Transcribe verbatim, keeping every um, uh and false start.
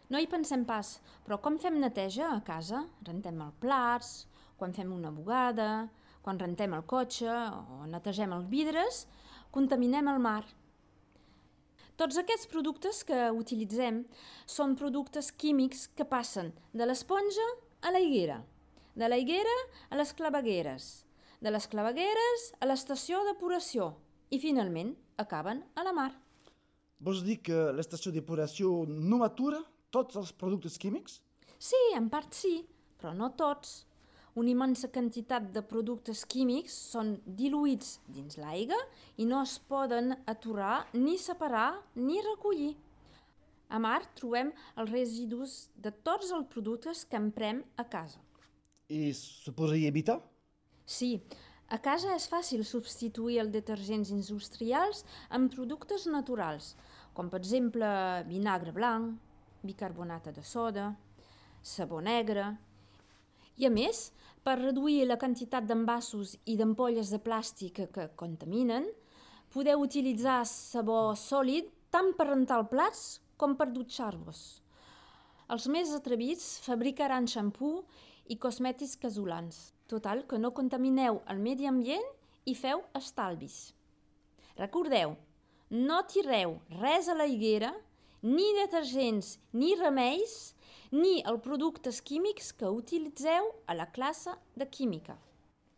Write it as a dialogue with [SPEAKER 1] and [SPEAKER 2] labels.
[SPEAKER 1] No hi pensem pas, però com fem neteja a casa? Rentem els plats, quan fem una bugada, quan rentem el cotxe o netegem els vidres, contaminem el mar. Tots aquests productes que utilitzem són productes químics que passen de l'esponja a la higuera, de la higuera a les clavegueres, de les clavegueres a l'estació depuració i finalment acaben a la mar.
[SPEAKER 2] Vols dir que l'estació d'epuració no atura tots els productes químics?
[SPEAKER 1] Sí, en part sí, però no tots. Una immensa quantitat de productes químics són diluïts dins l'aigua i no es poden aturar, ni separar, ni recollir. A mar trobem els residus de tots els productes que emprem a casa.
[SPEAKER 2] I se podria evitar?
[SPEAKER 1] Sí, a casa és fàcil substituir els detergents industrials amb productes naturals, com per exemple vinagre blanc, bicarbonat de soda, sabó negre. I a més, per reduir la quantitat d'envasos i d'ampolles de plàstic que contaminen, podeu utilitzar sabó sòlid tant per rentar els plats com per dutxar-vos. Els més atrevits fabricaran xampú i cosmètics casolans. Total, que no contamineu el medi ambient i feu estalvis. Recordeu, no tireu res a la higuera, ni detergents, ni remeis, ni els productes químics que utilitzeu a la classe de química.